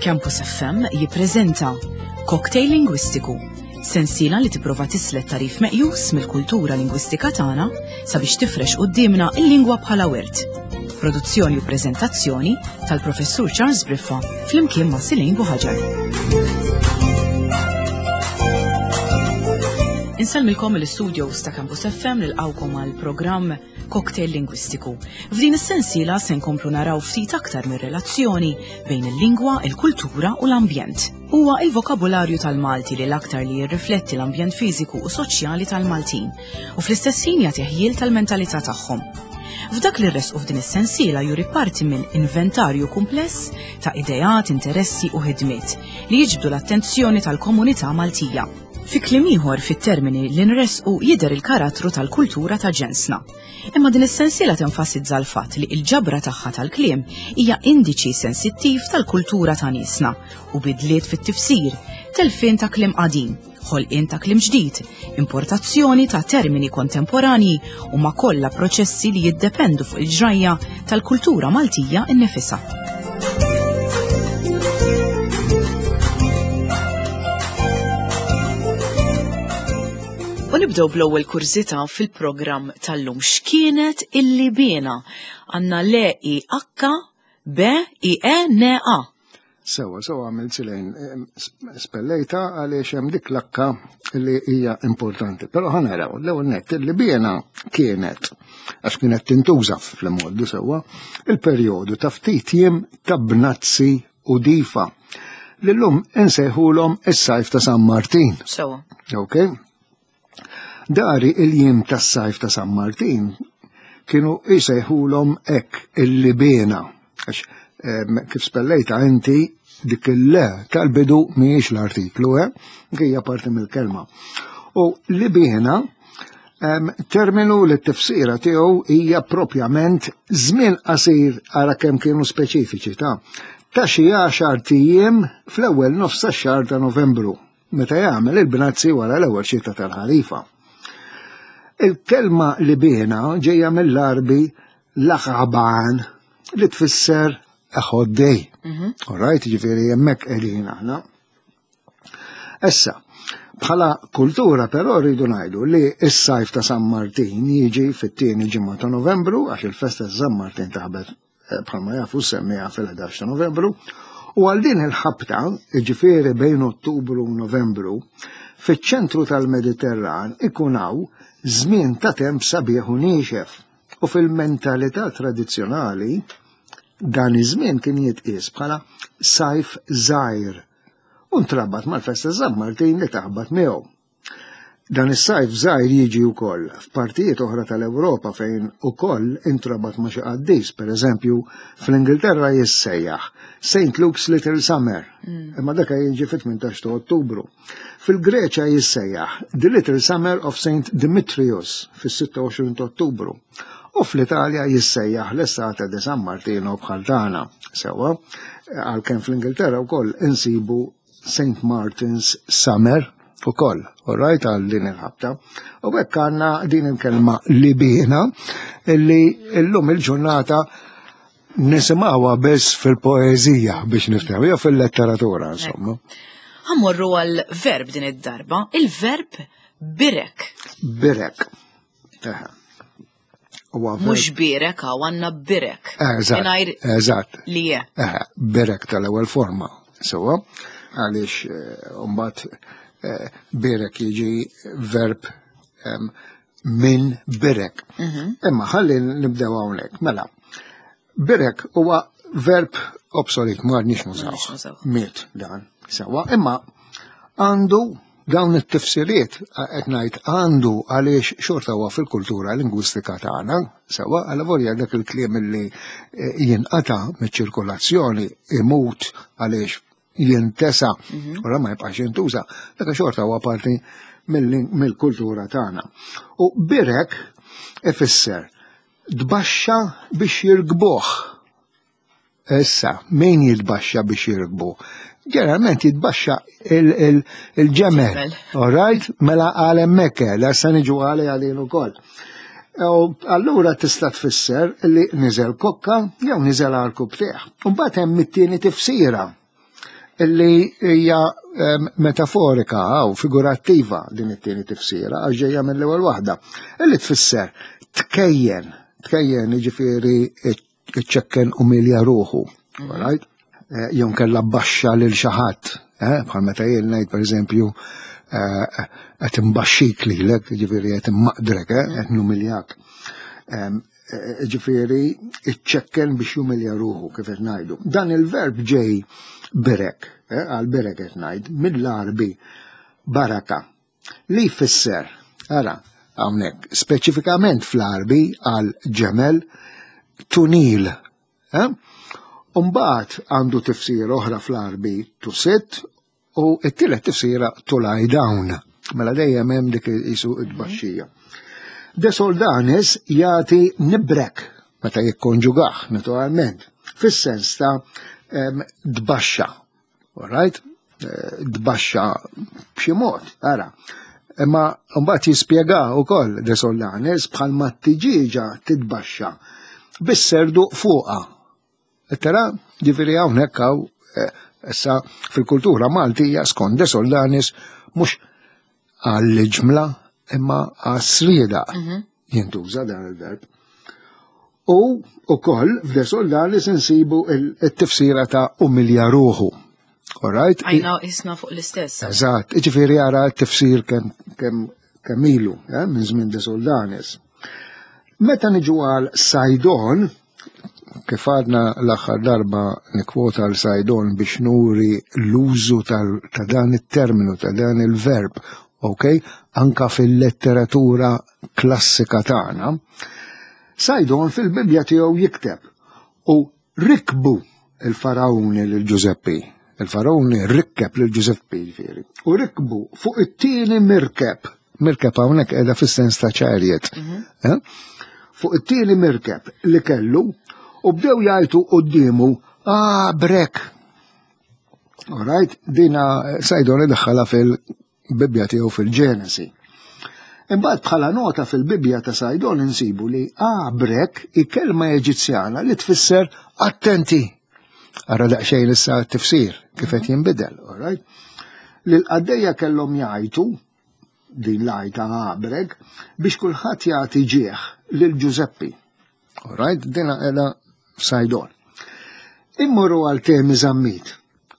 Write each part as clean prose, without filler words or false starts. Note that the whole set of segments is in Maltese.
Campus FM jippreżenta Cocktail Lingwistiku, sensiela li tipprova tislet tarif meqjus mill-kultura lingwistika tagħna sabiex tifrex quddiemna il-lingwa bħala wirt. Produzzjoni u preżentazzjoni tal-Professur Charles Briffa flimkien ma' Silin Buħaġar. Insellmilkom mill-istudios ta' Campus FM nilqawkom għal programm Cocktail Lingwistiku. F'din is-sensiela se nkomplu naraw ftit aktar mir-relazzjoni bejn il-lingwa, il-kultura u l-ambjent. Huwa il-vokabularju tal-Malti li l-aktar li jirrifletti l-ambjent fiżiku u soċjali tal-Maltin u fl-istess ħin jagħti ħjiel tal-mentalità tagħhom. F'dak li rresqu f'din is-sensiela juri parti minn inventarju kumpless ta' ideat, interessi u ħidmiet li jiġbdu l-attenzjoni tal-komunità Maltija. Fi kliem ieħor fit-termini li nressqu jidher il-karattru tal-kultura ta' ġensna. Imma din is-sensiela tenfasizza l-fatt li l-ġabra tagħha tal-kliem hija indiċi sensittiv tal-kultura ta' niesna u bidliet fit-tifsir, telfien ta' kliem qadim, ħolqien ta' kliem ġdid, importazzjoni ta' termini kontemporanji huma kollha proċessi li jiddependu fuq il-ġrajja tal-kultura Maltija nnifisha. U nibdew bl-ewwel kurżità fil-programm tal-lum. X'kienet il-Libena? Għandna l I H B I E N A. Sewa, sewa għamilt silejn spellejta għaliex hemm dik l-akka li hija importanti. Però ħanaraw, l-ewwel nett li biena kienet għax kienet tintuża fl-imgħoddi sewwa, il-perjodu ta' ftit jiem ta' bnazzi u difa li llum insejħulhom is-sajf ta' San Martin. Sewa. Ok? Dari il-jiem tas-sajf ta' San Martin kienu jsejħulhom hekk il-libena. Għax kif spellejta inti dik il-le tal-bidu mhijiex l-artiklu, eh? Hija parti mill-kelma. U libena terminu li t-tifsira tiegħu hija propjament żmien qasir ara kemm kienu speċifiċi ta' ta' xi għaxar tijiem fl-ewwel nofs tax-xahar ta' Novembru meta jagħmel il-bnazzi wara l-ewwel xita tal-ħarifa. Il-kelma li bina ġejja mill-Arbi laħaban li tfisser a hot day. Mhm. All right, ġifieri hemmhekk qegħdin aħna. Issa, bħala kultura però rridu ngħidu li s-sajf ta' San Martin jiġi fit-tieni ġimgħa ta' Novembru għax il-festa ta' San Martin taħbet eh, bħalma jafu semmija fil-11 ta' Novembru, u għal din il-ħabta, ġifieri bejn Ottubru u Novembru, fiċ-ċentru tal-Mediterran ikun hawn żmien ta' temp sabiħ u niexef. U fil-mentalità tradizzjonali dan iż-żmien kien jitqies bħala sajf żgħir u ntrabat mal-festa San Martin li taħbat miegħu. Dan is-sajf żgħir jiġi wkoll f'partijiet oħra tal-Ewropa fejn ukoll intrabat ma' xi qaddis, pereżempju fl-Ingilterra jissejjaħ St. Luke's Little Summer, mm. imma dak jiġi fit-18 ta' Ottubru. Fil-Greċja jissejjaħ The Little Summer of St. Dimitrius fis-26 ta' Ottubru. U fl-Italja jissejjaħ l-Estate di San Martino bħal tagħna. Sewwa, għalkemm fl-Ingilterra wkoll insibu St. Martin's Summer ukoll, all right, għal din il-ħabta. U hekk għandna din il-kelma libina illi llum il-ġurnata nisimgħuha biss fil-poeżija biex niftehmu, jew fil-letteratura, insomma. Ħammorru għal verb din id-darba, il-verb birek. Birek. Mux birek, għaw għanna birek. Eżatt. Eżatt. Li je. Birek tal-ewwel forma. Sewa, għaliex eh, mbagħad eh, birek jiġi verb minn birek. Mhm. Imma ħalli nibdew hawnhekk. Mela, birek huwa verb obsolet, ma għadniex nużaw. Miet dan. Sewa, imma għandu dawn it-tifsiriet qed ngħid għandu għaliex xorta huwa fil-kultura lingwistika tagħna, sewa għal volja dak il-kliem li eh, jinqata' miċ-ċirkolazzjoni imut għaliex jintesa mhm. u ma jibqax jintuża, dak xorta huwa parti mill-kultura tagħna. U birek ifisser tbaxxa biex jirkbuh. Issa, min jitbaxxa biex jirkbu? Ġeneralment jitbaxxa il-ġemel. All right? Mela għal hemmhekk, la se niġu għali għalin ukoll. U allura tista' tfisser li niżel kokka jew niżel għal kubtieħ. U mbagħad hemm it-tieni tifsira. Illi hija metaforika u figurattiva din it-tieni tifsira għax ġejja mill-ewwel waħda. Illi tfisser tkejjen, tkejjen jiġifieri iċċekken umilja ruħu, mhm. right? Eh, jew kella baxxa lil xi ħadd, eh, bħal meta jien ngħid pereżempju eh, qed imbaxxik lilek, jiġifieri qed immaqdrek, qed numiljak. Ġifieri iċċekken biex jumilja ruħu kif qed ngħidu. Dan il-verb ġej berek, għal berek qed ngħid, mill-Għarbi baraka li jfisser, ara, hawnhekk, speċifikament fl-Għarbi għal ġemel tunil. Eh? Umbagħad għandu tifsir oħra fl-Għarbi to sit u t-tielet tifsira to lie down. Mela dejjem hemm dik isu id-baxxija. De Soldanis jagħti nibrek meta jikkonġugah naturalment, fis-sens ta' tbaxxa. All right? Eh, tbaxxa b'xi mod, ara. Imma mbagħad jispjega wkoll De Solanes bħalma t-tiġieġa titbaxxa bis-serdu fuqha. Tara, ġifieri hawnhekk hawn eh, issa fil-kultura Maltija skont De Soldanis mhux għall-ġmla imma għas-srieda mhm. jintuża dan il-verb. U ukoll f'De Soldanis insibu il-tifsira ta' umilja ruħu. All right? Għajna isna fuq l-istess. Eżatt, ġifieri għara t-tifsir kemm kemm ilu, eh, minn żmien De Soldanis. Meta niġu għal Sajdon, kif għadna l-aħħar darba nikwota għal Sajdon biex nuri l-użu ta' dan it-terminu, ta' dan il-verb, ok, anka fil-letteratura klassika tagħna, Sajdon fil-Bibbja tiegħu jikteb u rikbu il-Farawni lil Ġużeppi. Il-Farawni rikkeb lil Ġużeppi ġifieri. U rikbu fuq it-tieni mirkeb. Mirkeb hawnhekk qiegħda fis-sens ta' chariot. Mhm. Eh? Fuq it-tieni mirkeb li kellu u bdew jgħajtu quddiemu ah brek. All right, dina Sajdon idħalha fil Bibbja tiegħu fil-Ġenesi. Imbagħad bħala nota fil-Bibbja ta' Sajdon insibu li abrek hi kelma Eġizzjana li tfisser attenti. Ara daqsxejn issa t-tifsir kif qed jinbidel, all right? Li l-qaddejja kellhom jgħajtu din l-għajta abrek biex kulħadd jagħti ġieħ lil Ġużeppi. All right, dina qiegħda f'Sajdon. Immorru għal Temi Zammit.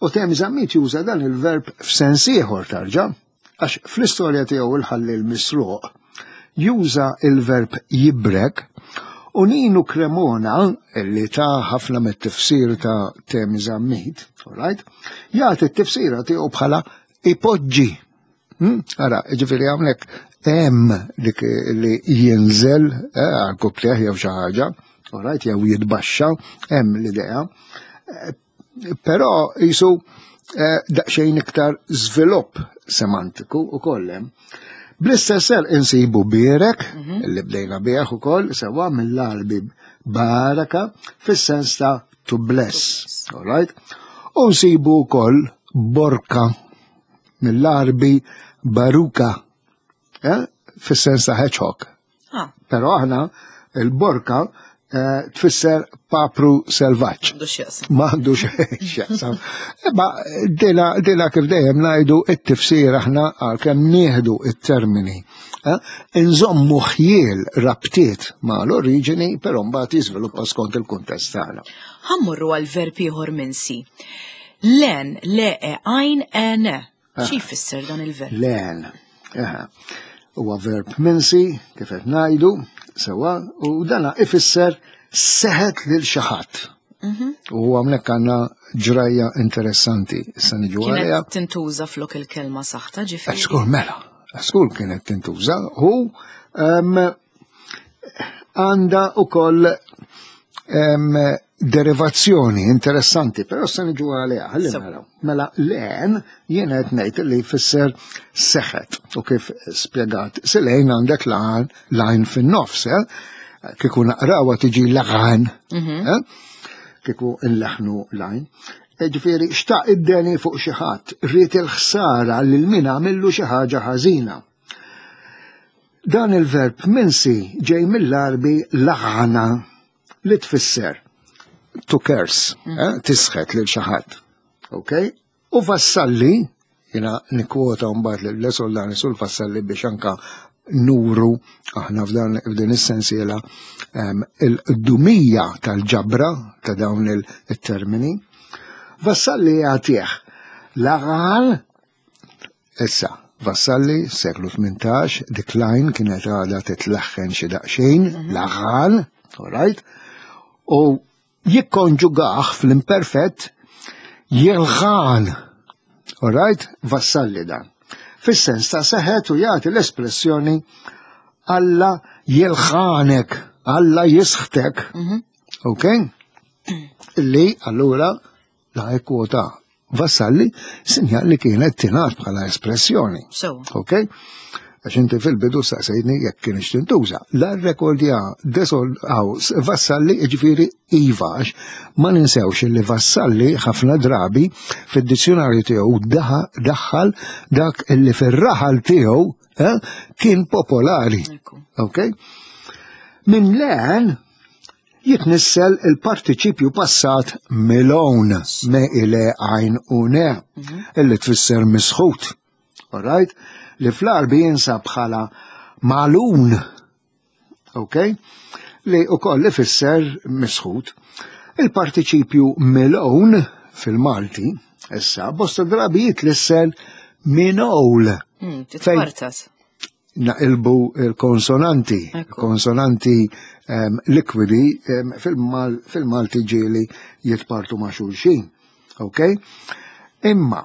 U Temi Zammit juża dan il-verb f'sens ieħor tarġa', għax fl-istorja tiegħu il-ħalli l-misruq juża il-verb jibrek u Ninu Cremona, li ta' ħafna mit-tifsir ta' Temi Zammit, all right, jagħti t-tifsira tiegħu bħala ipoġġi. Hmm? Ara, ġifieri hawnhekk hemm dik li jinżel eh, għal kuplieħ jew xi ħaġa, right, jew jitbaxxa, hemm l-idea. Eh, però jisu eh, daqsxejn iktar żvilupp semantiku u hemm. Bl-istess ser insibu birek, mhm. li bdejna bih ukoll, sewa mill-Arbi baraka, fis-sens ta' to bless, all right? U nsibu wkoll borka mill-Għarbi baruka, eh? fis-sens ta' hedgehog. Ah. Però aħna il-borka eh, tfisser papru selvaġġ. M'għandu x'jaqsam. Imma dila, dila kif dejjem ngħidu it-tifsir aħna għalkemm nieħdu it-termini. Eh? Inżommu ħjiel rabtiet ma' l-oriġini, però mbagħad jiżviluppa skont il-kuntest tagħna. Ħammurru għal verb ieħor minsi. Len, le, e, għajn, e, ne. Ah. Xi jfisser dan il-verb? Len. Huwa verb minsi, kif qed ngħidu, sewa, u dana ifisser seħet lil xi ħadd. Mhm. U hawnhekk għandna ġrajja interessanti. Issa niġu għaliha. Kienet tintuża flok il-kelma saħta ġifieri. Skur mela, skur kienet tintuża u għandha ukoll derivazzjoni interessanti, però se niġu għaliha, ħalli naraw. Mela len jien qed ngħid li jfisser seħet u kif spjegat silejn għandek lajn lajn fin-nofs, eh? Kieku naqrawha tiġi laħan, mhm. eh? kieku nleħnu lajn. E ġifieri xtaq id-deni fuq xi ħadd, ried il-ħsara lil min għamillu xi ħaġa ħażina. Dan il-verb minsi ġej mill-Għarbi laħana li tfisser to curse, mm. eh, tisħet lil xi ħadd. Ok? U Vassalli, jina nikkwota mbagħad lil Soldani sul Vassalli biex anka nuru aħna f'dan is-sensiela il-qdumija tal-ġabra ta' dawn il-termini. Vassalli jagħtih l-għal issa Vassalli seklu 18 decline kienet għadha titleħħen xi daqsxejn l-għal, all right, u jikkonġugah fl-imperfett jilħan. All right, Vassalli dan. Fis-sens ta' seħet u jagħti l-espressjoni Alla jilħanek, Alla jisħtek. Ok? Li allura la kwota Vassalli sinjal li kienet tingħad bħala espressjoni. Ok? Għax inti fil-bidu saqsejtni jekk kienx tintuża. La rekordja desol għaw Vassalli ġifieri iva, għax ma ninsewx li Vassalli ħafna drabi fid-dizzjonarju tiegħu daħħal dak illi fir-raħal tiegħu kien popolari. Ok? Minn leħen jitnissel il-partiċipju passat milon, me ile għajn u ne, illi tfisser misħut. All right? Li fl-Arbi jinsab bħala malun, ok? Li u koll ifisser misħut. Il-partiċipju milon fil-Malti, issa, bosta drabi jitlissel minowl. Titpartas. Naqilbu il-konsonanti, konsonanti likwidi fil-Malti ġieli jitpartu ma' xulxin. Ok? Imma,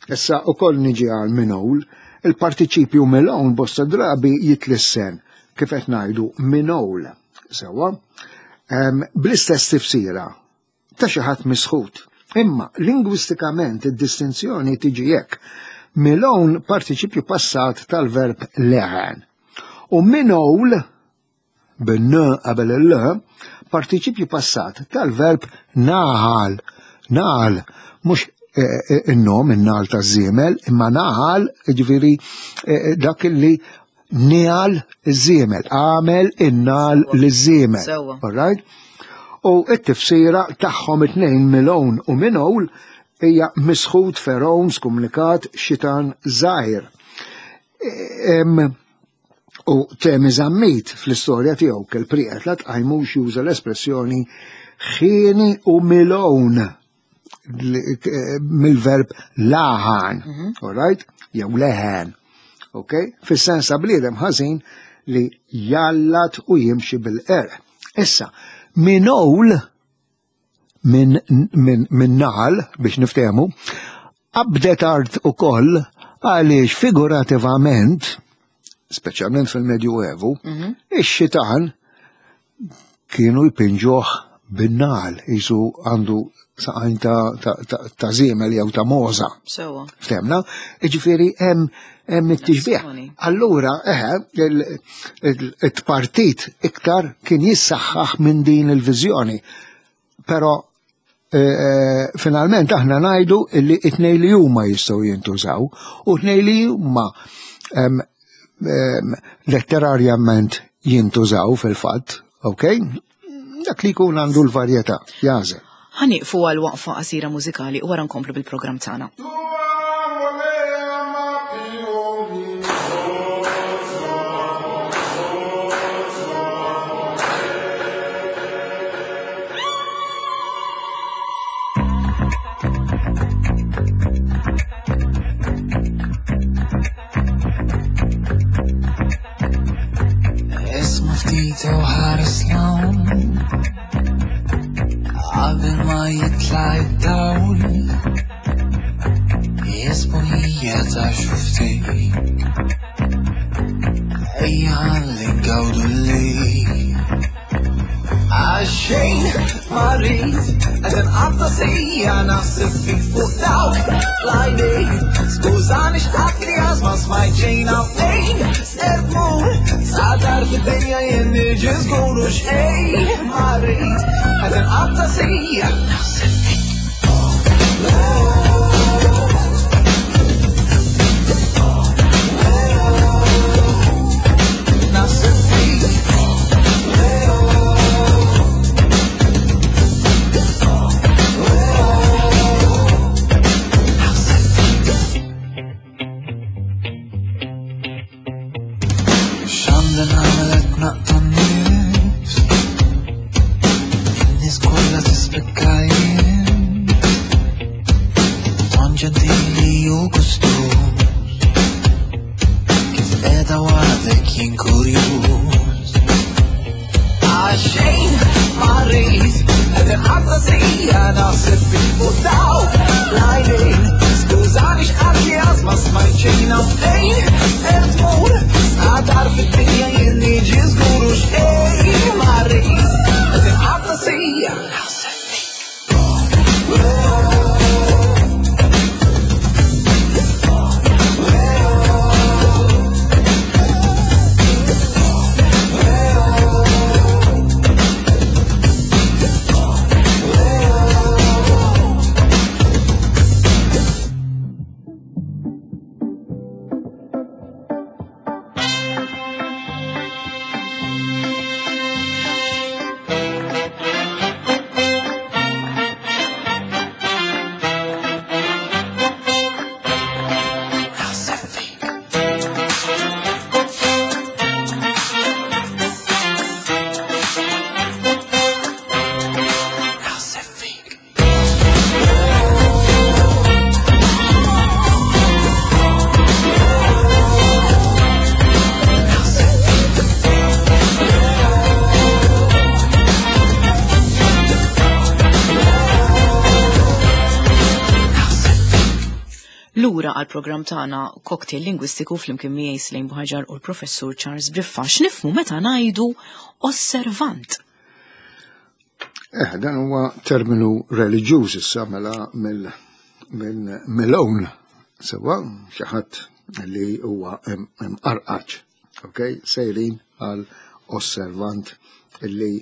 issa u koll niġi għal minowl, il-partiċipju milon bosta drabi jitlissen, kif qed ngħidu minowl, sewwa, bl-istess tifsira ta' xi ħadd misħut. Imma lingwistikament id-distinzjoni tiġi hekk. Milon partiċipju passat tal-verb leħen. U minowl bin-n qabel il-l partiċipju passat tal-verb naħal. Naħal, mhux in-nom, in-nagħal taż-żiemel, imma naħal, ġifieri dak li nigħal iż-żiemel, għamel in-nagħal liż-żiemel. All right? U t-tifsira tagħhom it-tnejn milon u minowl hija misħut, feron, skumlikat, xitan żgħir. U Temi Zammit fl-istorja tiegħu kell prieqet la tqajmux juża l-espressjoni ħieni u milon mill-verb laħan, all right? Jew leħen, ok? Fis-sens ta' bniedem ħażin li jallat u jimxi bil-qerq. Issa, minowl minn naħal biex niftehmu, qabdet art ukoll għaliex figurativament, speċjalment fil-Medju Evu, ix-xitan kienu jpinġuh bin-nagħal, jisu għandu saqajn ta' żiemel jew ta' moża. Sewwa. Ftemna? Jiġifieri hemm it-tixbih. Allura, eħe, it-partit iktar kien jissaħħaħ minn din il-viżjoni. Però finalment aħna ngħidu illi it-tnejn li huma jistgħu jintużaw u t-tnejn li huma letterarjament jintużaw fil-fatt, ok? Dak li jkun għandu l-varjetà, jażel. Ħa nieqfu għal waqfa qasira mużikali u wara nkomplu bil-programm tagħna. Isma' ftit u ħares 'l hawn qabel ma jitla' id-dawl. Jisbuħija ta' xuftik, ejja ħalli ngawdu l-lejl. Għaxejn ma rrid, qed inqatta' sija naħseb fik fuq dawk l-għajnejn. Skużani x'qatt li għaż ma smajt xejn hawnejn. Ser tmur, sa tarf id-dinja jien niġi żgur u xejn ma rrid, qed inqatta' sija naħseb fik. Naħseb fik. l-Afrika jien Ton ġentili u gustuż Kif qiegħda waħdek jien kurjuż Għaxejn ma rrid qed inqatta' sija naħseb fik fuq dawk l-għajnejn Skużani x'qatt li għaż ma smajt xejn hawn fejn qed tmur Sqadar fid-dinja jien niġi żgur u xejn ma rrid qed inqatta' sija naħseb fik. Naħseb fik. Naħseb fik. Lura għal programm tagħna Cocktail Lingwistiku flimkien miegħi Slejn Buħaġar u l-Professur Charles Briffa. X'nifhmu meta ngħidu osservant? Eh, dan huwa terminu reliġjuż issa mela mill-own. Sewa, xi ħadd li huwa imqarqaċ. Ok, sejrin għal osservant li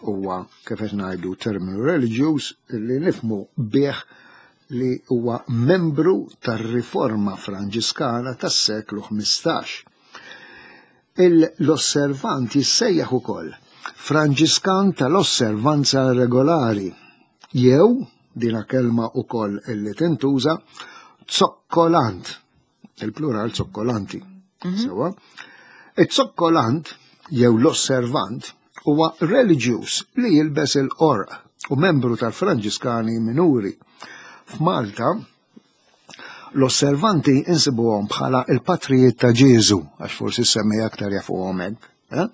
huwa kif qed ngħidu terminu reliġjuż li nifhmu bih li huwa membru tar-Riforma Franġiskana tas-seklu 15. L-osservant jissejjaħ ukoll Franġiskan tal-Osservanza Regolari jew dina kelma ukoll illi tintuża zokkolant, il-plural zokkolanti. Sewa? Iż-zokkolant jew l-osservant huwa reliġjuż li jilbes il-qorq u membru tal-Franġiskani Minuri. F'Malta, l-osservanti insibuhom bħala il-patrijiet ta' Ġieżu, għax forsi semmi aktar jafuhom hekk, eh?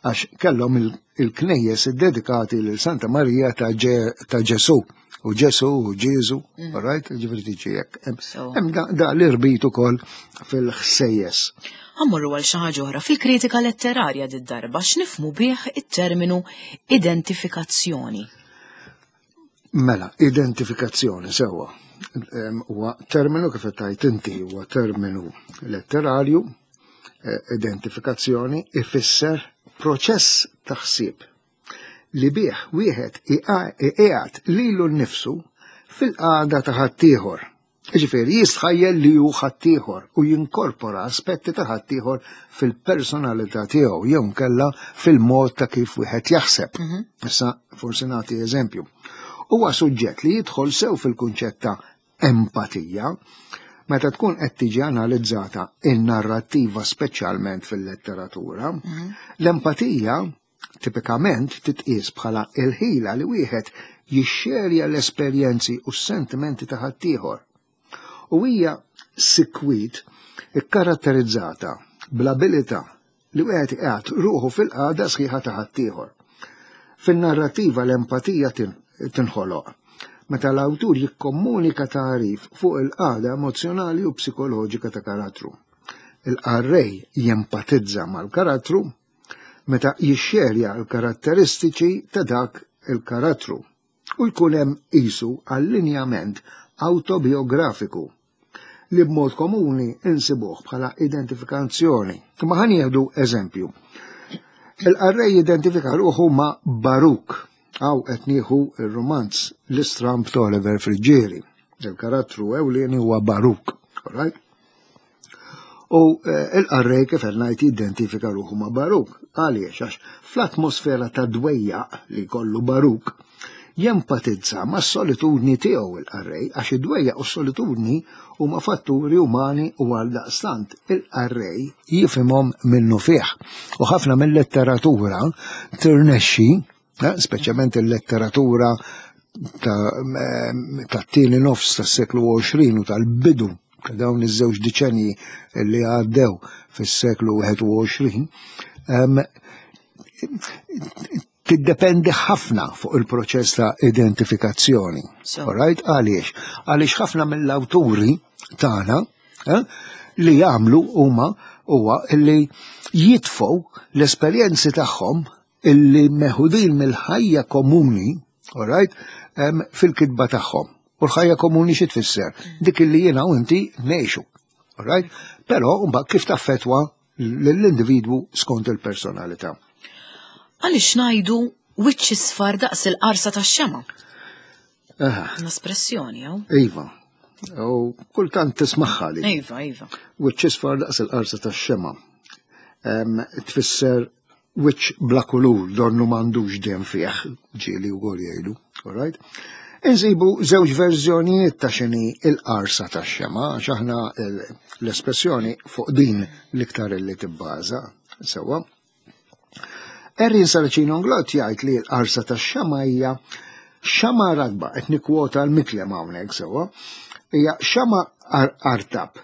għax kellhom il-knejjes iddedikati lil Santa Marija ta' Ġesu u Ġesu u Ġieżu, right? Ġifieri tiġi hekk. Hemm da l-irbit ukoll fil-ħsejjes. Ħammorru għal xi ħaġa oħra fil-kritika letterarja did-darba x'nifhmu bih it-terminu identifikazzjoni. Mela, identifikazzjoni sewwa. Huwa terminu kif qed tgħid inti huwa terminu letterarju, identifikazzjoni ifisser proċess ta' ħsieb li bih wieħed iqiegħed lilu nnifsu fil-qagħda ta' ħaddieħor. Jiġifieri jistħajjel li hu ħaddieħor u jinkorpora aspetti ta' ħaddieħor fil-personalità tiegħu jew nkella fil-mod ta' kif wieħed jaħseb. Issa forsi nagħti eżempju. Huwa suġġett li jidħol sew fil-kunċett ta' empatija meta tkun qed tiġi analizzata in-narrattiva speċjalment fil-letteratura. L-empatija tipikament titqies bħala il-ħila li wieħed jixxerja l-esperjenzi u s-sentimenti ta' ħaddieħor. U hija sikwit ikkaratterizzata bl-abilità li wieħed iqiegħed ruħu fil-qagħda sħiħa ta' ħaddieħor. Fin-narrattiva l-empatija tinħoloq meta l-awtur jikkomunika tagħrif fuq il-qagħda emozzjonali u psikoloġika ta' karattru. Il-qarrej jempatizza mal-karattru meta jixxerja l-karatteristiċi ta' dak il-karattru u jkun hemm qisu allinjament awtobiografiku li b'mod komuni insibuh bħala identifikazzjoni. Imma ħa nieħdu eżempju. Il-qarrej jidentifika ruħu ma' Baruk, hawn qed nieħu r-rumanz L-Istramb ta' Oliver Friggieri. Il-karattru ewlieni huwa Baruk, all right? U il-qarrej kif qed ngħid jidentifika ruħu ma' Baruk. Għaliex? Għax fl-atmosfera ta' dwejjaq li jkollu Baruk, jempatizza mas-solitudni tiegħu il-qarrej, għax id-dwejjaq u s-solitudni huma fatturi umani u għaldaqstant il-qarrej jifhimhom minnufih. U ħafna mill-letteratura tirnexxi, speċjalment il-letteratura tat-tieni nofs tas-seklu 20 u tal-bidu ta' dawn iż-żewġ diċenji li għaddew fis-seklu 21 tiddependi ħafna fuq il-proċess ta' identifikazzjoni. Alright? Għaliex? Għaliex ħafna mill-awturi tagħna eh, li jagħmlu huma huwa li jitfgħu l-esperjenzi tagħhom illi meħudin mill-ħajja komuni, alright, fil-kitba tagħhom. U l-ħajja komuni xi tfisser? Dik illi jiena u inti ngħixu. Alright? Però mbagħad kif taffetwa lill-individwu skont il-personalità. Għaliex ngħidu wiċċ isfar daqs il-qarsa tax-xema? L-espressjoni, jew? Iva. U kultant tismaħħa li. Iva, iva. Wiċċ isfar daqs il-qarsa tax-xema. Tfisser wiċċ bla kulur, donnu m'għandux dem fih, ġieli wkoll jgħidu, all right? Insibu żewġ verżjonijiet ta' xini il-qarsa tax-xema, għax aħna l-espressjoni fuq din l-iktar li tibbaża, sewwa. Erin Saracino Nglott jgħid li l-qarsa tax-xema hija xama ratba, qed nikkwota l-miklem hawnhekk sewwa, hija xama artab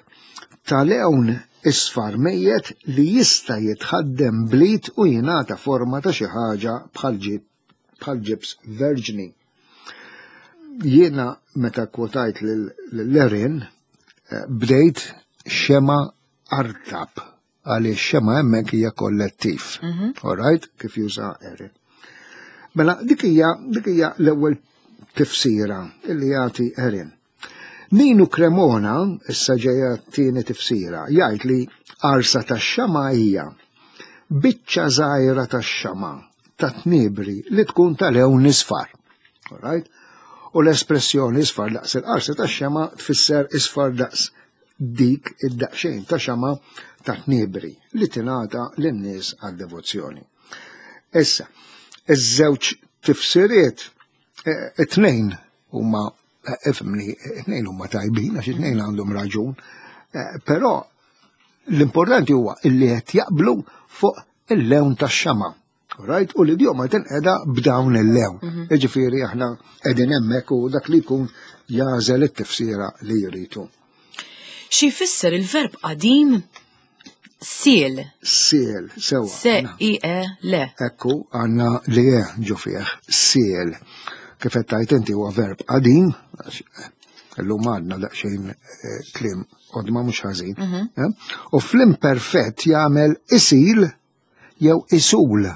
ta' lewn isfar mejjet li jista' jitħaddem bl-id u jingħata forma ta' xi ħaġa bħal ġibs verġni. Jiena meta kwotajt lil Erin eh, bdejt xema artab għaliex xema hemmhekk hija kollettiv. Mhm. All right, kif juża Erin. Mela dik hija dik hija l-ewwel tifsira li jagħti Erin. Ninu Cremona, issa ġejja t-tieni tifsira, jgħid li qarsa tax-xama' hija biċċa żgħira tax-xama' ta' tniebri li tkun ta' lewn isfar. All right? U l-espressjoni isfar daqs il-qarsa tax-xama' tfisser isfar daqs dik id-daqsxejn ta' xama' ta' tniebri li tingħata lin-nies għad-devozzjoni. Issa, iż-żewġ tifsiriet eh, it-tnejn huma eh, ifhimni, it-tnejn huma tajbin għax it-tnejn għandhom raġun, eh, però l-importanti huwa illi qed jaqblu fuq il-lewn tax-xama. Right? U l-idjoma tinqeda b'dawn il-lewn. Mhm. Jiġifieri aħna qegħdin hemmhekk u dak li jkun jażel it-tifsira li jridu. Xi jfisser il-verb qadim Siel. Siel, sewa. Se i e le. Ekku, għanna li e ġo fih, siel. Kif qed tajt inti huwa verb qadim, illum għadna daqsxejn eh, kliem qodma mhux ħażin. Mhm. Eh? U fl-imperfett jagħmel isil jew isul.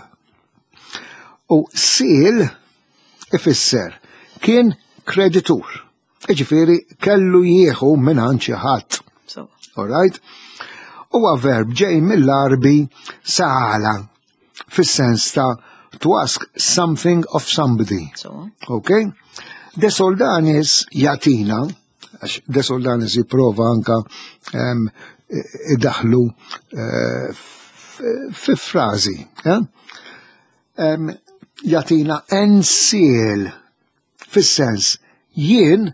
U siel ifisser kien kreditur. Iġifieri kellu jieħu minn xi ħadd. All right? Huwa verb ġej mill-Arbi sa'ala fis-sens ta' to ask something of somebody. So. Okay? De Soldanis jatina, għax De Soldanis jipprova anka um, idaħlu uh, fi frażi. Eh? Um, jatina ensiel Fis-sens jien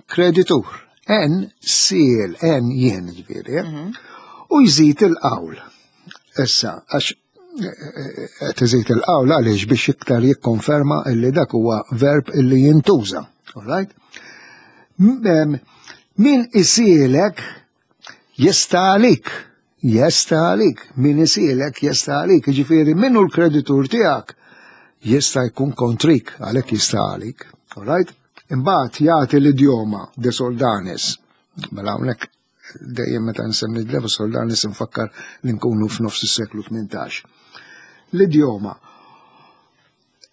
kreditur. En siel, en jien ġifieri. Eh? Mhm. U jżid il-qawl. Issa, għax eh, eh, qed iżid il-qawl għaliex biex iktar jikkonferma illi dak huwa verb illi jintuża. All right? Min isielek Jista' għalik, jesta għalik, min isielek jesta għalik, jiġifieri min hu l-kreditur tiegħek jista' jkun kontrik, għalhekk jista' għalik. All right? Imbagħad jagħti l-idjoma de soldanis. Mela hawnhekk dejjem meta nsemmi de soldanis nfakkar li nkunu f'nofs is-seklu 18. L-idjoma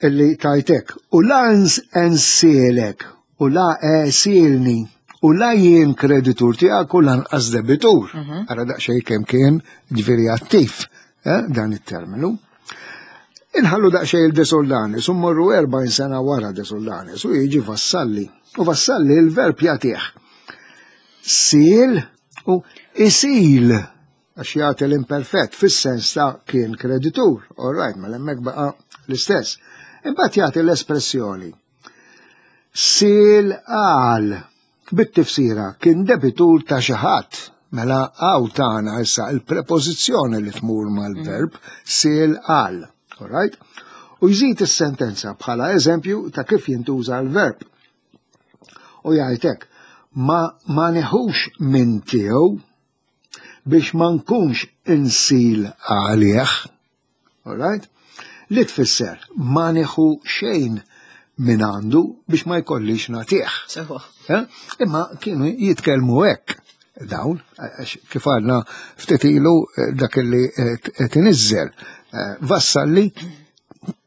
illi tajtek u la nsielek u la esilni u la jien kreditur tiegħek u lanqas debitur. Mhm. Ara daqsxejn kemm kien ġifieri attiv eh, dan it-terminu. Inħallu daqsxejn il-Desoldanis u mmorru 40 sena wara Desoldanis u jiġi Vassalli. U Vassalli il-verb jagħtih. Sil u isil Għax jagħti l-imperfett fis-sens ta' kien kreditur, all right, mela hemmhekk baqa' l-istess. Imbagħad jagħti l-espressjoni sil għal bit-tifsira kien debitur ta' xi ħadd. Mela hawn tagħna issa il-prepożizzjoni li tmur mal-verb sil għal. All right? U jżid is-sentenza bħala eżempju ta' kif jintuża l-verb. U jgħid hekk, ma, ma neħux minn tiegħu biex ma nkunx insil għalih. Alright? Li tfisser ma nieħu xejn minn għandu biex ma jkollix nagħtih. Eh? Imma kienu jitkellmu hekk dawn, kif għadna ftit ilu eh, dak li eh, tinizzel. Vassalli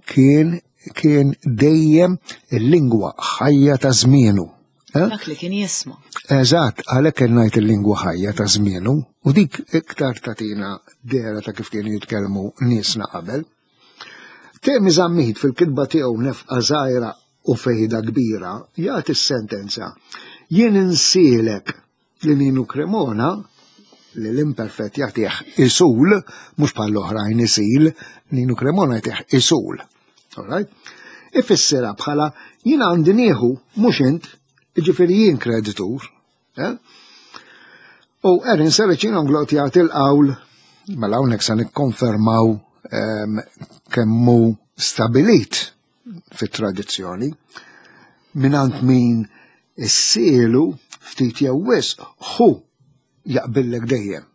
kien kien dejjem il-lingwa ħajja ta' żmienu. Eh? Dak li kien jisma. Eżatt, għalhekk kien ngħid il-lingwa ħajja ta' żmienu u dik iktar tatina dera ta' kif kienu jitkellmu niesna qabel. Temi Zammit fil-kitba tiegħu nefqa żgħira u fejda kbira jagħti s-sentenza jien insielek li Ninu Cremona li l-imperfett jagħtih isul, mhux bħal oħrajn isil, Ninu Cremona jagħtih isul. Alright? Ifissirha bħala jien għandi nieħu mhux int, jiġifieri jien kreditur. Eh? U Erin Sericin Onglot jagħti l-qawl mela hawnhekk se nikkonfermaw ehm, kemmu stabilit fit-tradizzjoni mingħand min issielu ftit jew wisq hu jaqbillek dejjem.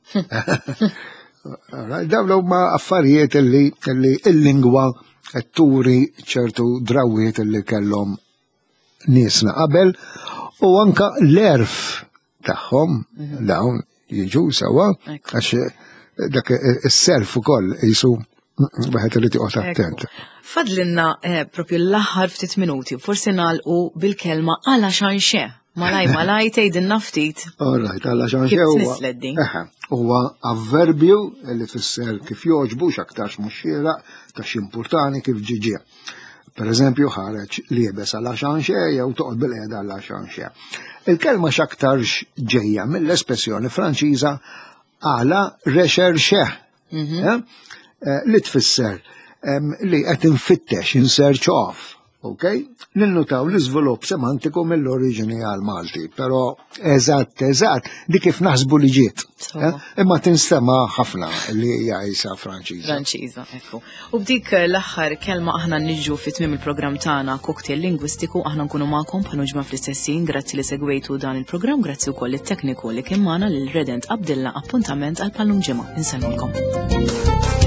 Dawn huma affarijiet li l-lingwa qed turi ċertu drawiet li kellhom niesna qabel u anka l-erf tagħhom mhm. dawn jiġu sewa għax eh, dak eh, is-self ukoll jisu wieħed irid joqgħod attent. Fadlinna eh, propju l-aħħar ftit minuti, forsi nagħlqu bil-kelma għala xanxe. Malaj, malaj, tgħidilna ftit. All right, għala xanxe huwa. Huwa avverbju li tfisser kif jogħġbu x'aktarx mhux xieraq ta' x'impurtani kif ġiġi. Per eżempju, ħareġ liebes għal xanxe jew toqgħod bil-qiegħda għal xanxe. Il-kelma x'aktarx ġejja mill-espressjoni Franċiża għala recherche, mhm. eh? Eh, li tfisser li qed infittex in search of. Ok? Ninnutaw l-iżvilupp semantiku mill-oriġini għal Malti, però eżatt, eżatt, di kif naħsbu li ġiet. Eh? Imma tinstema ħafna li hija isa Franċiża. Franċiża, ekku. U b'dik l-aħħar kelma aħna niġu fi tmiem il-programm tagħna Cocktail Lingwistiku aħna nkunu magħkom bħal ġimgħa fl-istessin, grazzi li segwejtu dan il-programm, grazzi wkoll it-tekniku li kien magħna lil Redent Abdilla appuntament għal pallum ġimgħa. Insellmulkom.